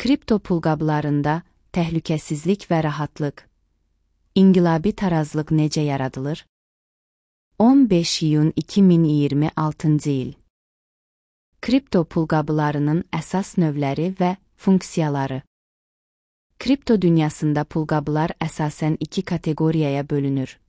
Kripto pulqablarında təhlükəsizlik və rahatlıq. İnqilabi tarazlıq necə yaradılır? 15 iyun 2026 il. Kripto pulqablarının əsas növləri və funksiyaları. Kripto dünyasında pulqablar əsasən iki kateqoriyaya bölünür.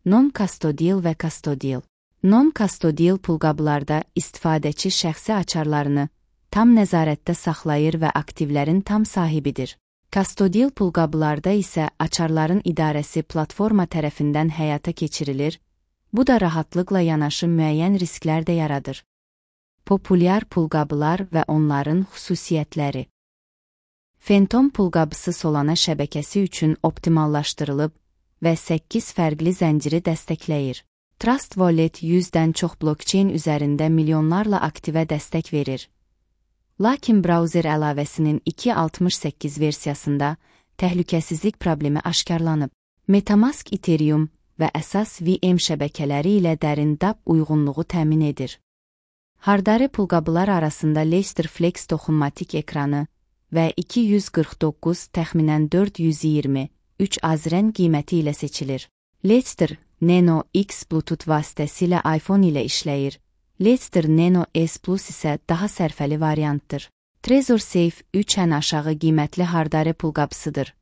Non-custodial və custodial. Non-custodial pulqablarda istifadəçi şəxsi açarlarını tam nəzarətdə saxlayır və aktivlərin tam sahibidir. Custodial pulqablarda isə açarların idarəsi platforma tərəfindən həyata keçirilir, bu da rahatlıqla yanaşı müəyyən risklər də yaradır. Populyar pulqablar və onların xüsusiyyətləri. Phantom pulqabısı Solana şəbəkəsi üçün optimallaşdırılıb və 8 fərqli zənciri dəstəkləyir. Trust Wallet 100-dən çox blockchain üzərində milyonlarla aktivə dəstək verir. Lakin brauzer əlavəsinin 2.68 versiyasında təhlükəsizlik problemi aşkarlanıb. MetaMask Ethereum və əsas VM şəbəkələri ilə dərin DApp uyğunluğu təmin edir. Hardare pulqabılar arasında Ledger Flex toxunmatik ekranı və 249 təxminən 423 azren qiyməti ilə seçilir. Ledger Nano X Bluetooth vasitəsilə iPhone ilə işləyir. Ledger Nano S Plus isə daha sərfəli variantdır. Trezor Safe 3 ən aşağı qiymətli hardare pulqabısıdır.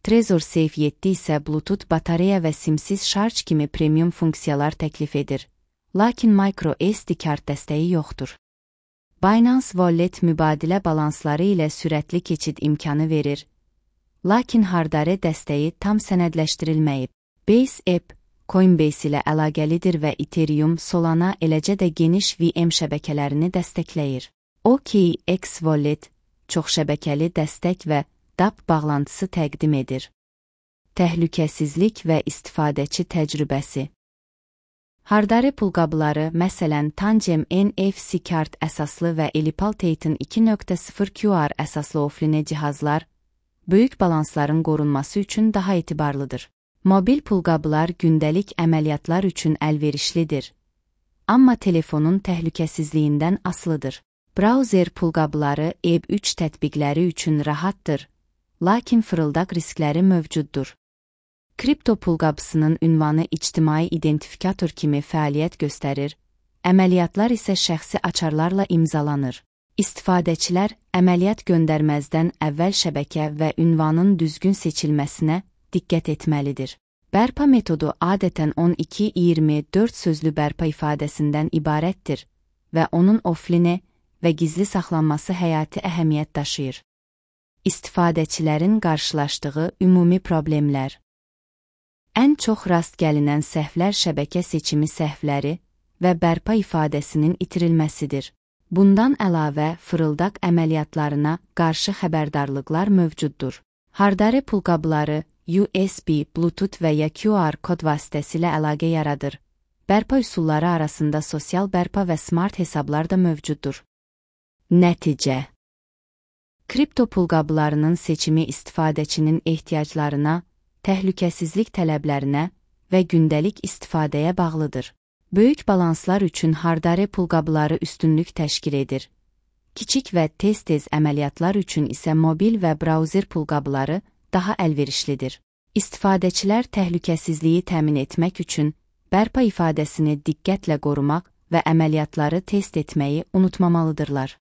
Trezor Safe 7 isə Bluetooth batareya və simsiz şarj kimi premium funksiyalar təklif edir. Lakin micro SD kart dəstəyi yoxdur. Binance Wallet mübadilə balansları ilə sürətli keçid imkanı verir. Lakin hardare dəstəyi tam sənədləşdirilməyib. Base App Coinbase ilə əlaqəlidir və Ethereum, Solana, eləcə də geniş VM şəbəkələrini dəstəkləyir. OKX Wallet çoxşəbəkəli dəstək və DApp bağlantısı təqdim edir. Təhlükəsizlik və istifadəçi təcrübəsi. Hardare pulqabları, məsələn Tangem NFC kart əsaslı və Elipal Titan 2.0 QR əsaslı offline cihazlar, böyük balansların qorunması üçün daha etibarlıdır. Mobil pulqablar gündəlik əməliyyatlar üçün əlverişlidir, amma telefonun təhlükəsizliyindən asılıdır. Brauzer pulqabları EB3 tətbiqləri üçün rahatdır, lakin fırıldaq riskləri mövcuddur. Kripto pulqabısının ünvanı ictimai identifikator kimi fəaliyyət göstərir, əməliyyatlar isə şəxsi açarlarla imzalanır. İstifadəçilər əməliyyat göndərməzdən əvvəl şəbəkə və ünvanın düzgün seçilməsinə diqqət etməlidir. Bərpa metodu adətən 12-24 sözlü bərpa ifadəsindən ibarətdir və onun offline və gizli saxlanması həyati əhəmiyyət daşıyır. İstifadəçilərin qarşılaşdığı ümumi problemlər. Ən çox rast gəlinən səhvlər şəbəkə seçimi səhvləri və bərpa ifadəsinin itirilməsidir. Bundan əlavə fırıldaq əməliyyatlarına qarşı xəbərdarlıqlar mövcuddur. Hardare pulqabları USB, Bluetooth və ya QR kod vasitəsilə əlaqə yaradır. Bərpa üsulları arasında sosial bərpa və smart hesablar da mövcuddur. Nəticə. Kripto pulqablarının seçimi istifadəçinin ehtiyaclarına, təhlükəsizlik tələblərinə və gündəlik istifadəyə bağlıdır. Böyük balanslar üçün hardare pulqabları üstünlük təşkil edir. Kiçik və tez-tez əməliyyatlar üçün isə mobil və brauzer pulqabları daha əlverişlidir. İstifadəçilər təhlükəsizliyi təmin etmək üçün bərpa ifadəsini diqqətlə qorumaq və əməliyyatları test etməyi unutmamalıdırlar.